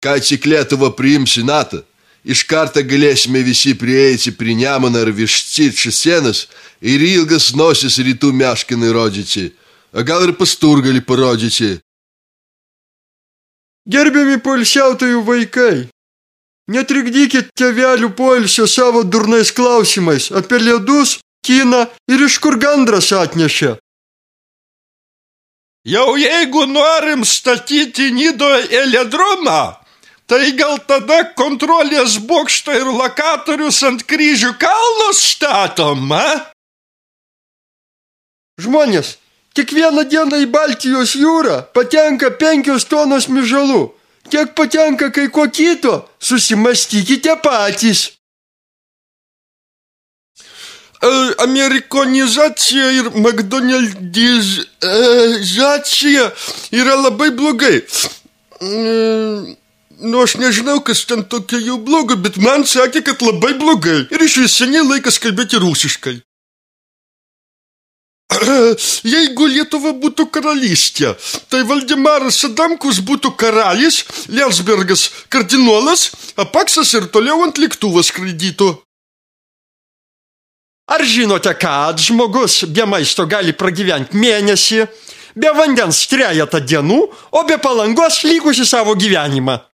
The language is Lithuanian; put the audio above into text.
Kai tik Lietuva priims į NATO, iš karto galėsime visi prieiti prie Nemuno ir Vištyčio sienos ir ilgas nosis rytų meškinai rodyti, o gal ir Pasturgalį parodyti. Gerbiami poilsiautojų vaikai, netrikdykit tėvelių poilsio savo durnais klausimais apie ledus, kiną ir iš kur gandras atnešė. Jau jeigu norim statyti Nidoje elėdromą, tai gal tada kontrolės bokštą ir lokatorius ant Kryžių kalnos statom, a? Žmonės, kiekvieną dieną į Baltijos jūrą patenka 5 tonos mižalų. Kiek patenka kai ko kito, susimastykite patys. Amerikonizacija ir McDonaldizacija yra labai blogai. Aš nežinau, kas ten tokia jau bloga, bet man sakė, kad labai blogai. Ir iš vis seniai laikas kalbėti rusiškai. Jeigu Lietuva būtų karalystė, tai Valdemaras Adamkus būtų karalis, Lielsbergas kardinolas, o Paksas ir toliau ant lėktuvo skraidytų. Ar žinote, kad žmogus be maisto gali pragyventi mėnesį, be vandens 3 dienų, o be palangos likusį savo gyvenimą?